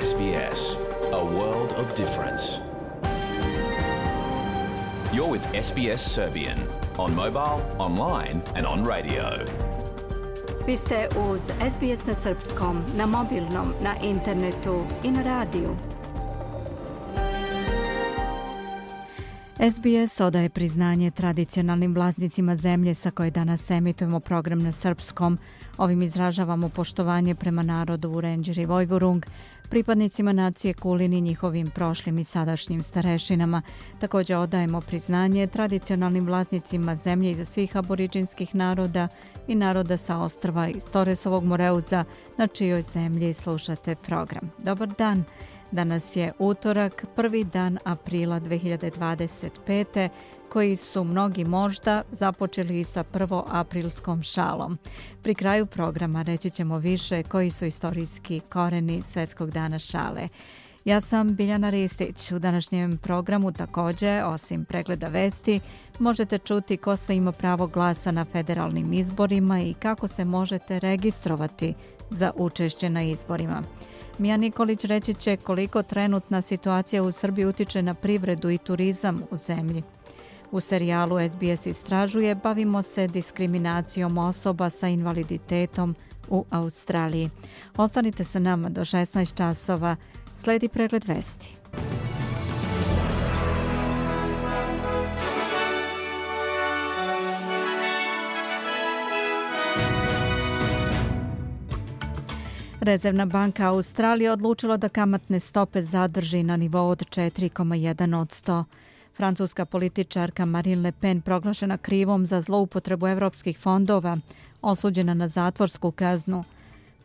SBS, a world of difference. You're with SBS Serbian on mobile, online and on radio. Vi ste uz SBS na srpskom, na mobilnom, na internetu i na radiju. SBS odaje priznanje tradicionalnim vlasnicima zemlje sa koje danas emitujemo program na srpskom. Ovim izražavamo poštovanje prema narodu Vurenđer i Vojvurung, pripadnicima nacije Kulin i njihovim prošlim i sadašnjim starešinama. Također odajemo priznanje tradicionalnim vlasnicima zemlje iza svih aboriđinskih naroda i naroda sa ostrva iz Torresovog Moreuza, na čijoj zemlji slušate program. Dobar dan! Danas je utorak, prvi dan aprila 2025. koji su mnogi možda započeli sa prvoaprilskom šalom. Pri kraju programa reći ćemo više koji su istorijski koreni Svjetskog dana šale. Ja sam Biljana Ristić. U današnjem programu također, osim pregleda vesti, možete čuti ko sve ima pravo glasa na federalnim izborima i kako se možete registrovati za učešće na izborima. Mija Nikolić reći će koliko trenutna situacija u Srbiji utiče na privredu i turizam u zemlji. U serijalu SBS istražuje bavimo se diskriminacijom osoba sa invaliditetom u Australiji. Ostanite sa nama do 16 časova. Sledi pregled vesti. Rezervna banka Australije odlučila da kamatne stope zadrži na nivou od 4,1%. Francuska političarka Marine Le Pen proglašena krivom za zloupotrebu evropskih fondova, osuđena na zatvorsku kaznu.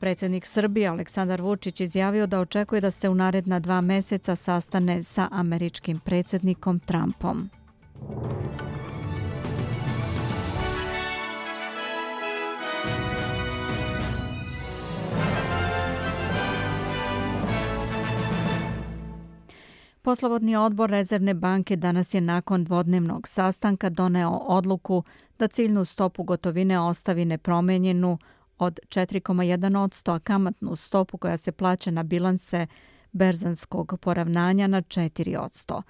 Predsjednik Srbije Aleksandar Vučić izjavio da očekuje da se u naredna 2 mjeseca sastane sa američkim predsjednikom Trumpom. Poslovodni odbor Rezervne banke danas je nakon dvodnevnog sastanka doneo odluku da ciljnu stopu gotovine ostavi nepromijenjenu od 4,1%, a kamatnu stopu koja se plaća na bilanse berzanskog poravnanja na 4%.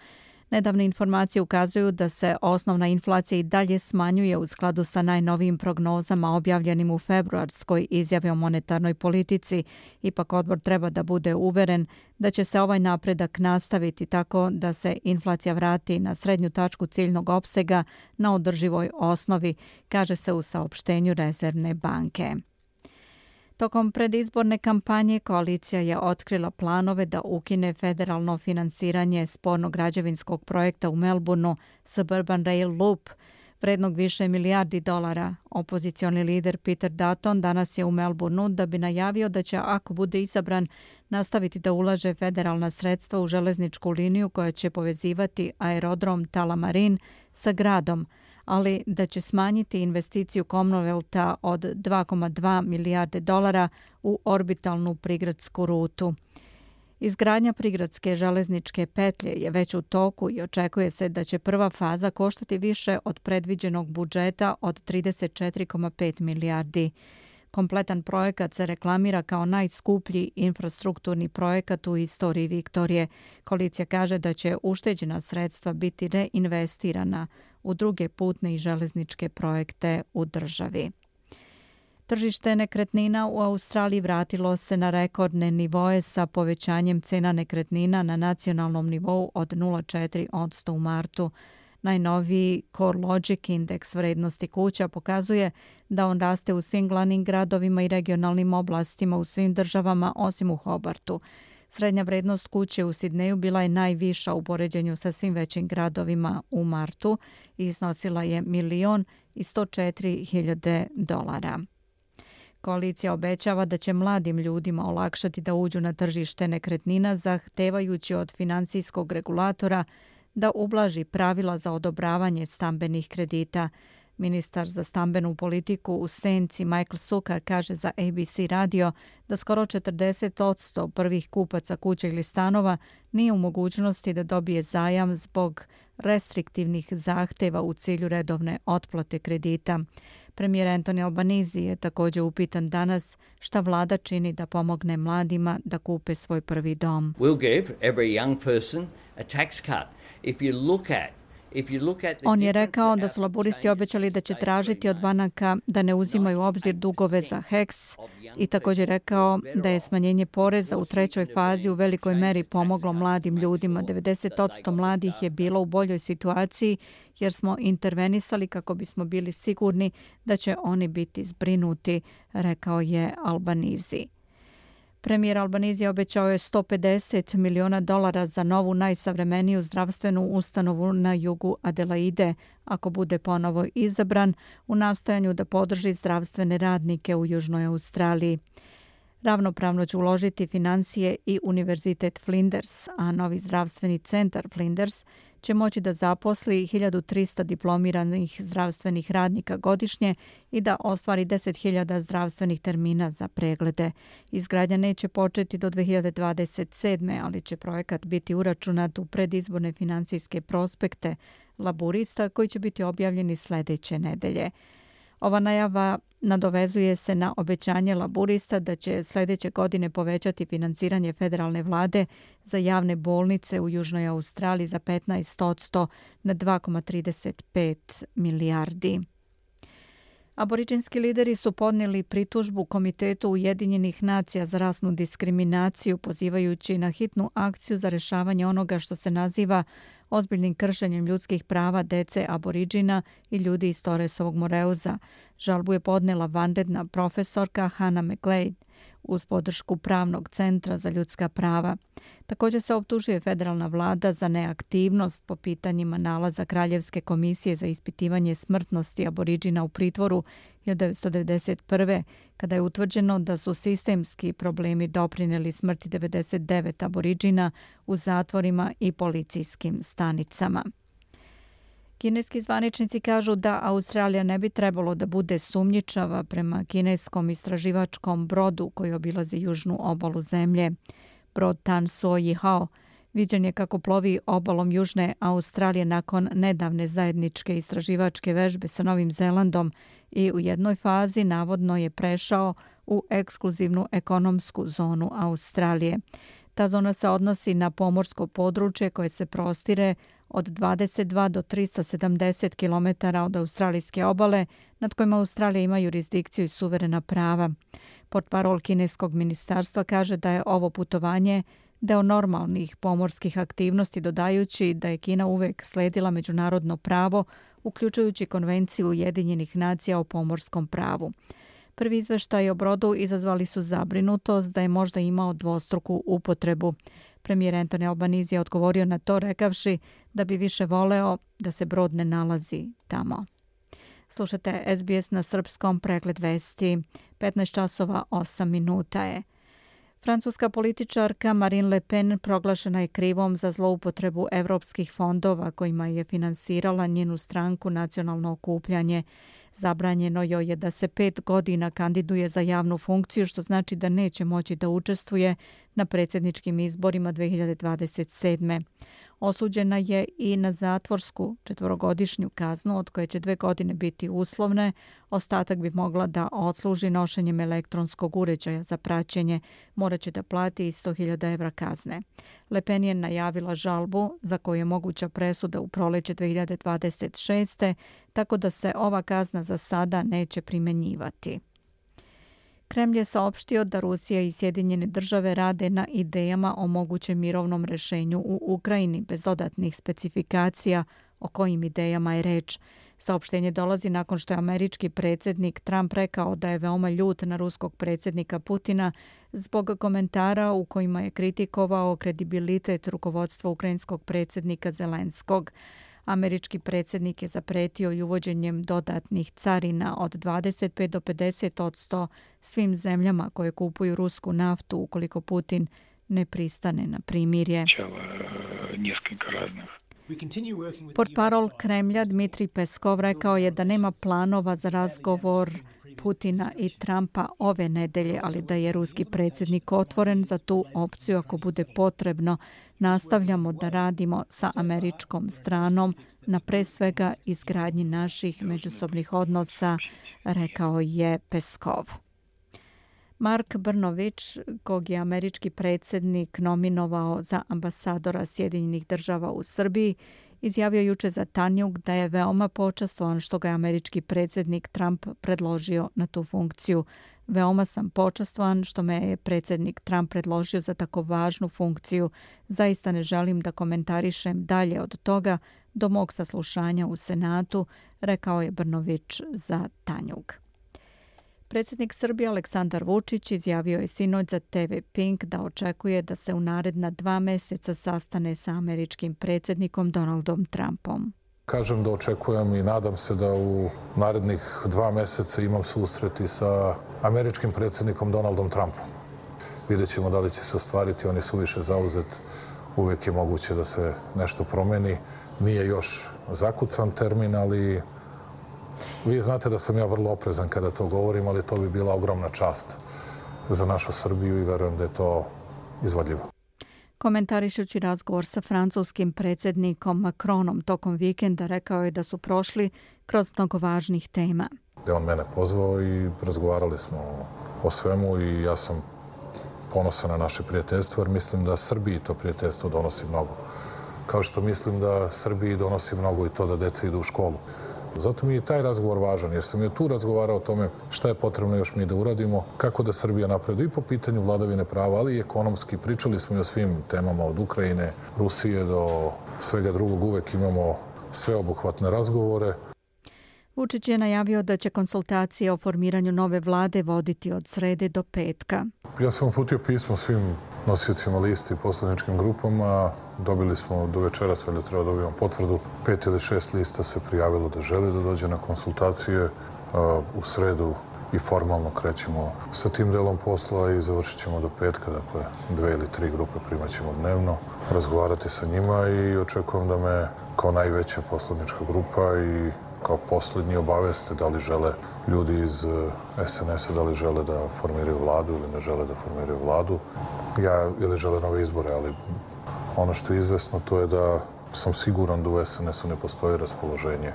Nedavne informacije ukazuju da se osnovna inflacija i dalje smanjuje u skladu sa najnovijim prognozama objavljenim u februarskoj izjavi o monetarnoj politici. Ipak odbor treba da bude uveren da će se ovaj napredak nastaviti tako da se inflacija vrati na srednju tačku ciljnog opsega na održivoj osnovi, kaže se u saopštenju Rezervne banke. Tokom predizborne kampanje koalicija je otkrila planove da ukine federalno finansiranje spornog građevinskog projekta u Melbourneu Suburban Rail Loop, vrednog više milijardi dolara. Opozicioni lider Peter Dutton danas je u Melbourneu da bi najavio da će, ako bude izabran, nastaviti da ulaže federalna sredstva u železničku liniju koja će povezivati aerodrom Tullamarine sa gradom, ali da će smanjiti investiciju Commonwealtha od 2,2 milijarde dolara u orbitalnu prigradsku rutu. Izgradnja prigradske železničke petlje je već u toku i očekuje se da će prva faza koštati više od predviđenog budžeta od 34,5 milijardi. Kompletan projekat se reklamira kao najskuplji infrastrukturni projekat u istoriji Viktorije. Koalicija kaže da će ušteđena sredstva biti reinvestirana u druge putne i železničke projekte u državi. Tržište nekretnina u Australiji vratilo se na rekordne nivoe sa povećanjem cena nekretnina na nacionalnom nivou od 0,4% u martu. Najnoviji CoreLogic indeks vrednosti kuća pokazuje da on raste u svim glavnim gradovima i regionalnim oblastima u svim državama osim u Hobartu. Srednja vrednost kuće u Sidneju bila je najviša u poređenju sa svim većim gradovima u martu i iznosila je $1,104,000. Koalicija obećava da će mladim ljudima olakšati da uđu na tržište nekretnina zahtevajući od financijskog regulatora da ublaži pravila za odobravanje stambenih kredita. Ministar za stambenu politiku u senci Michael Sukar kaže za ABC radio da skoro 40% prvih kupaca kuća ili stanova nije u mogućnosti da dobije zajam zbog restriktivnih zahteva u cilju redovne otplate kredita. Premijer Anthony Albanese je također upitan danas šta vlada čini da pomogne mladima da kupe svoj prvi dom. We'll give every young person a tax cut. If you look at On je rekao da su laburisti obećali da će tražiti od banaka da ne uzimaju u obzir dugove za HEX i također rekao da je smanjenje poreza u trećoj fazi u velikoj meri pomoglo mladim ljudima. 90% mladih je bilo u boljoj situaciji jer smo intervenisali kako bismo bili sigurni da će oni biti zbrinuti, rekao je Albanese. Premijer Albanese obećao je $150 miliona za novu najsavremeniju zdravstvenu ustanovu na jugu Adelaide, ako bude ponovo izabran, u nastojanju da podrži zdravstvene radnike u Južnoj Australiji. Ravnopravno će uložiti financije i Univerzitet Flinders, a novi zdravstveni centar Flinders će moći da zaposli 1300 diplomiranih zdravstvenih radnika godišnje i da ostvari 10.000 zdravstvenih termina za preglede. Izgradnja neće početi do 2027. ali će projekat biti uračunat u predizborne financijske prospekte laburista koji će biti objavljeni sljedeće nedelje. Ova najava nadovezuje se na obećanje laburista da će sljedeće godine povećati financiranje federalne vlade za javne bolnice u Južnoj Australiji za 15% na 2,35 milijardi. Aboriđinski lideri su podnijeli pritužbu Komitetu Ujedinjenih nacija za rasnu diskriminaciju, pozivajući na hitnu akciju za rješavanje onoga što se naziva ozbiljnim kršenjem ljudskih prava dece aboriđina i ljudi iz Torresovog Moreuza. Žalbu je podnijela vanredna profesorka Hannah McGlade uz podršku Pravnog centra za ljudska prava. Također se optužuje federalna vlada za neaktivnost po pitanjima nalaza Kraljevske komisije za ispitivanje smrtnosti aboriđina u pritvoru 1991. kada je utvrđeno da su sistemski problemi doprinijeli smrti 99 aboriđina u zatvorima i policijskim stanicama. Kineski zvaničnici kažu da Australija ne bi trebalo da bude sumnjičava prema kineskom istraživačkom brodu koji obilazi južnu obalu zemlje. Brod Tan Suo Yihao viđen je kako plovi obalom Južne Australije nakon nedavne zajedničke istraživačke vežbe sa Novim Zelandom i u jednoj fazi navodno je prešao u ekskluzivnu ekonomsku zonu Australije. Ta zona se odnosi na pomorsko područje koje se prostire od 22 do 370 km od australijske obale, nad kojima Australija ima jurisdikciju i suverena prava. Portparol kineskog ministarstva kaže da je ovo putovanje deo normalnih pomorskih aktivnosti, dodajući da je Kina uvek sledila međunarodno pravo, uključujući Konvenciju Ujedinjenih nacija o pomorskom pravu. Prvi izveštaj o brodu izazvali su zabrinutost da je možda imao dvostruku upotrebu. Premijer Anthony Albanese je odgovorio na to rekavši da bi više voleo da se brod ne nalazi tamo. Slušate SBS na srpskom, pregled vesti. 15 časova 8 minuta je. Francuska političarka Marine Le Pen proglašena je krivom za zloupotrebu evropskih fondova kojima je finansirala njenu stranku Nacionalno okupljanje. Zabranjeno joj je da se 5 godina kandiduje za javnu funkciju, što znači da neće moći da učestvuje na predsjedničkim izborima 2027. Osuđena je i na zatvorsku 4-godišnju kaznu, od koje će 2 godine biti uslovne. Ostatak bi mogla da odsluži nošenjem elektronskog uređaja za praćenje. Morat će da plati i 100.000 evra kazne. Le Pen je najavila žalbu za koju je moguća presuda u proleće 2026. tako da se ova kazna za sada neće primenjivati. Kremlj je saopštio da Rusija i Sjedinjene države rade na idejama o mogućem mirovnom rješenju u Ukrajini bez dodatnih specifikacija o kojim idejama je reč. Saopštenje dolazi nakon što je američki predsjednik Trump rekao da je veoma ljut na ruskog predsjednika Putina zbog komentara u kojima je kritikovao kredibilitet rukovodstva ukrajinskog predsjednika Zelenskog. Američki predsjednik je zapretio i uvođenjem dodatnih carina od 25 do 50% svim zemljama koje kupuju rusku naftu ukoliko Putin ne pristane na primirje. Portparol Kremlja Dmitrij Peskov rekao je da nema planova za razgovor Putina i Trumpa ove nedelje, ali da je ruski predsjednik otvoren za tu opciju ako bude potrebno. Nastavljamo da radimo sa američkom stranom na pre svega izgradnji naših međusobnih odnosa, rekao je Peskov. Mark Brnovich, kog je američki predsjednik nominovao za ambasadora Sjedinjenih država u Srbiji, izjavio juče za Tanjug da je veoma počastvovan što ga je američki predsjednik Trump predložio na tu funkciju. Veoma sam počastvovan što me je predsjednik Trump predložio za tako važnu funkciju. Zaista ne želim da komentarišem dalje od toga do mog saslušanja u Senatu, rekao je Brnovich za Tanjug. Predsjednik Srbije Aleksandar Vučić izjavio je sinoć za TV Pink da očekuje da se u naredna 2 mjeseca sastane sa američkim predsjednikom Donaldom Trumpom. Kažem da očekujem i nadam se da u narednih 2 mjeseca imam susret i sa američkim predsjednikom Donaldom Trumpom. Vidjet ćemo da li će se ostvariti, on je suviše zauzet, uvijek je moguće da se nešto promeni. Nije još zakucan termin, ali vi znate da sam ja vrlo oprezan kada to govorim, ali to bi bila ogromna čast za našu Srbiju i verujem da je to izvodljivo. Komentarišući razgovor sa francuskim predsjednikom Macronom tokom vikenda, rekao je da su prošli kroz mnogo važnih tema. On mene pozvao i razgovarali smo o svemu i ja sam ponosan na naše prijateljstvo jer mislim da Srbiji to prijateljstvo donosi mnogo. Kao što mislim da Srbiji donosi mnogo i to da deca idu u školu. Zato mi je taj razgovor važan, jer sam je tu razgovarao o tome šta je potrebno još mi da uradimo, kako da Srbija napreduje i po pitanju vladavine prava, ali i ekonomski. Pričali smo i o svim temama od Ukrajine, Rusije do svega drugog. Uvek imamo sveobuhvatne razgovore. Vučić je najavio da će konsultacije o formiranju nove vlade voditi od srede do petka. Ja sam uputio pismo svim nosiocima listi i poslaničkim grupama. Dobili smo do večeras, valjda treba dobijemo potvrdu. 5 ili 6 lista se prijavilo da želi da dođe na konsultacije. U sredu i formalno krećemo sa tim delom posla i završit ćemo do petka. Dakle, 2 ili 3 grupe primat ćemo dnevno, razgovarati sa njima i očekujem da me kao najveća poslanička grupa i kao posljednji obaveste da li žele ljudi iz SNS-a, da li žele da formiraju vladu ili ne žele da formiraju vladu. Ili žele nove izbore, ali ono što je izvesno to je da sam siguran da u SNS-u ne postoji raspoloženje,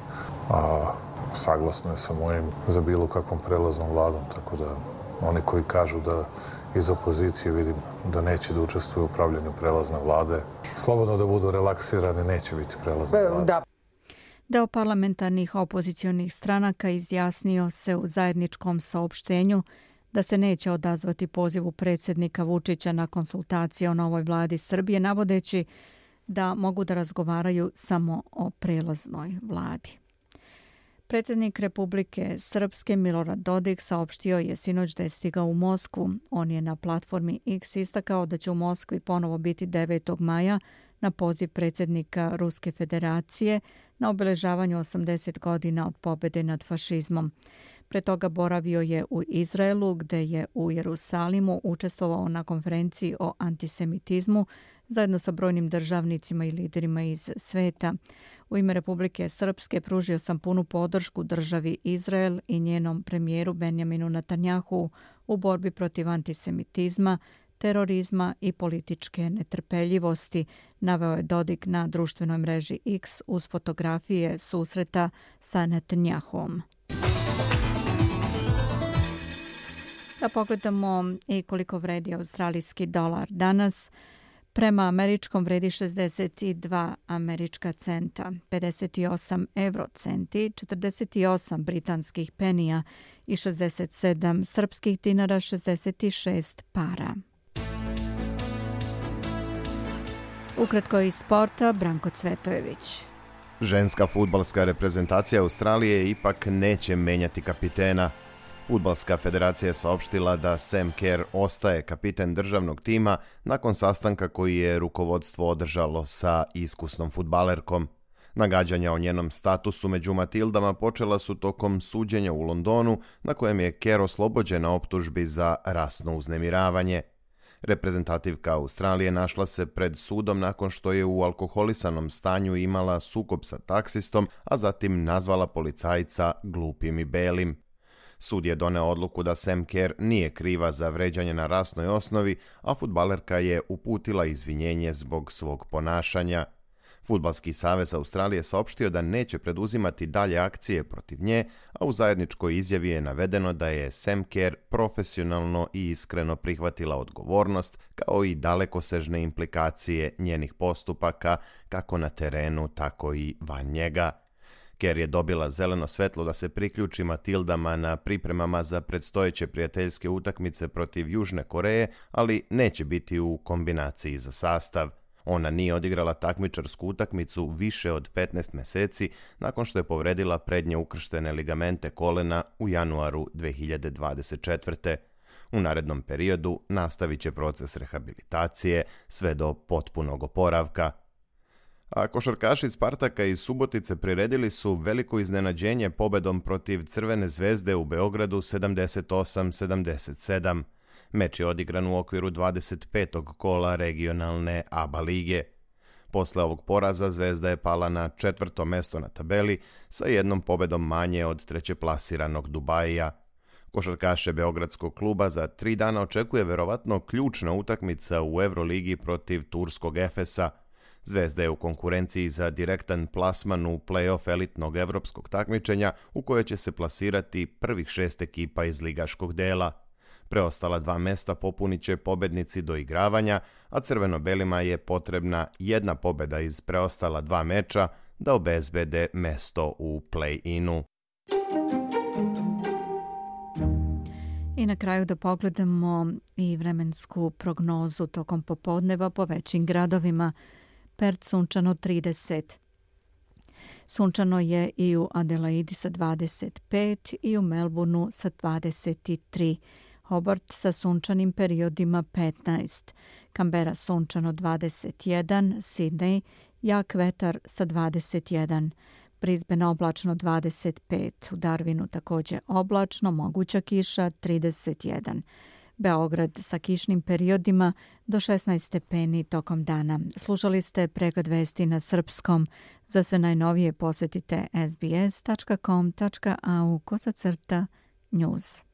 a saglasno je sa mojim za bilo kakvom prelaznom vladom, tako da oni koji kažu da iz opozicije vidim da neće da učestvuju u upravljanju prelazne vlade, slobodno da budu relaksirani, neće biti prelazna vlada. Deo parlamentarnih opozicionih stranaka izjasnio se u zajedničkom saopštenju da se neće odazvati pozivu predsjednika Vučića na konsultacije o novoj vladi Srbije, navodeći da mogu da razgovaraju samo o prelaznoj vladi. Predsjednik Republike Srpske Milorad Dodik saopštio je sinoć da je stigao u Moskvu. On je na platformi X istakao da će u Moskvi ponovo biti 9. maja na poziv predsjednika Ruske federacije na obeležavanju 80 godina od pobjede nad fašizmom. Pre toga boravio je u Izraelu, gde je u Jerusalimu učestvovao na konferenciji o antisemitizmu zajedno sa brojnim državnicima i liderima iz sveta. U ime Republike Srpske pružio sam punu podršku državi Izrael i njenom premijeru Benjaminu Netanjahu u borbi protiv antisemitizma, terorizma i političke netrpeljivosti, naveo je Dodik na društvenoj mreži X uz fotografije susreta sa Netanjahom. Da pogledamo i koliko vredi australijski dolar danas. Prema američkom vredi 62 američka centa, 58 eurocenti, 48 britanskih penija i 67 srpskih dinara, 66 para. Ukratko iz sporta, Branko Cvetojević. Ženska fudbalska reprezentacija Australije ipak neće menjati kapitena. Fudbalska federacija je saopštila da Sam Kerr ostaje kapiten državnog tima nakon sastanka koji je rukovodstvo održalo sa iskusnom fudbalerkom. Nagađanja o njenom statusu među Matildama počela su tokom suđenja u Londonu, na kojem je Kerr oslobođen na optužbi za rasno uznemiravanje. Reprezentativka Australije našla se pred sudom nakon što je u alkoholisanom stanju imala sukob sa taksistom, a zatim nazvala policajca glupim i belim. Sud je doneo odluku da Sam Kerr nije kriva za vređanje na rasnoj osnovi, a fudbalerka je uputila izvinjenje zbog svog ponašanja. Fudbalski savez Australije saopštio da neće preduzimati dalje akcije protiv nje, a u zajedničkoj izjavi je navedeno da je Sam Kerr profesionalno i iskreno prihvatila odgovornost, kao i dalekosežne implikacije njenih postupaka, kako na terenu, tako i van njega. Kerr je dobila zeleno svetlo da se priključi Matildama na pripremama za predstojeće prijateljske utakmice protiv Južne Koreje, ali neće biti u kombinaciji za sastav. Ona nije odigrala takmičarsku utakmicu više od 15 mjeseci nakon što je povredila prednje ukrštene ligamente kolena u januaru 2024. U narednom periodu nastavit će proces rehabilitacije sve do potpunog oporavka. A košarkaši Spartaka iz Subotice priredili su veliko iznenađenje pobedom protiv Crvene zvezde u Beogradu 78-77. Meč je odigran u okviru 25. kola regionalne ABA lige. Posle ovog poraza Zvezda je pala na 4. mesto na tabeli sa jednom pobedom manje od trećeplasiranog Dubaija. Košarkaše Beogradskog kluba za 3 dana očekuje verovatno ključna utakmica u Euroligi protiv turskog Efesa. Zvezda je u konkurenciji za direktan plasman u play-off elitnog evropskog takmičenja u koje će se plasirati prvih 6 ekipa iz ligaškog dela. Preostala 2 mesta popunit će pobednici do igravanja, a crveno-belima je potrebna jedna pobeda iz preostala 2 meča da obezbede mesto u play-inu. I na kraju da pogledamo i vremensku prognozu tokom popodneva po većim gradovima. Perth sunčano 30. Sunčano je i u Adelaidi sa 25 i u Melbourneu sa 23. Hobart sa sunčanim periodima 15. Canberra sunčano 21. Sydney jak vetar sa 21. Brisbane oblačno 25. U Darwinu također oblačno, moguća kiša 31. Beograd sa kišnim periodima do 16 stepeni tokom dana. Slušali ste pregled vesti na srpskom. Za sve najnovije posjetite sbs.com.au/news.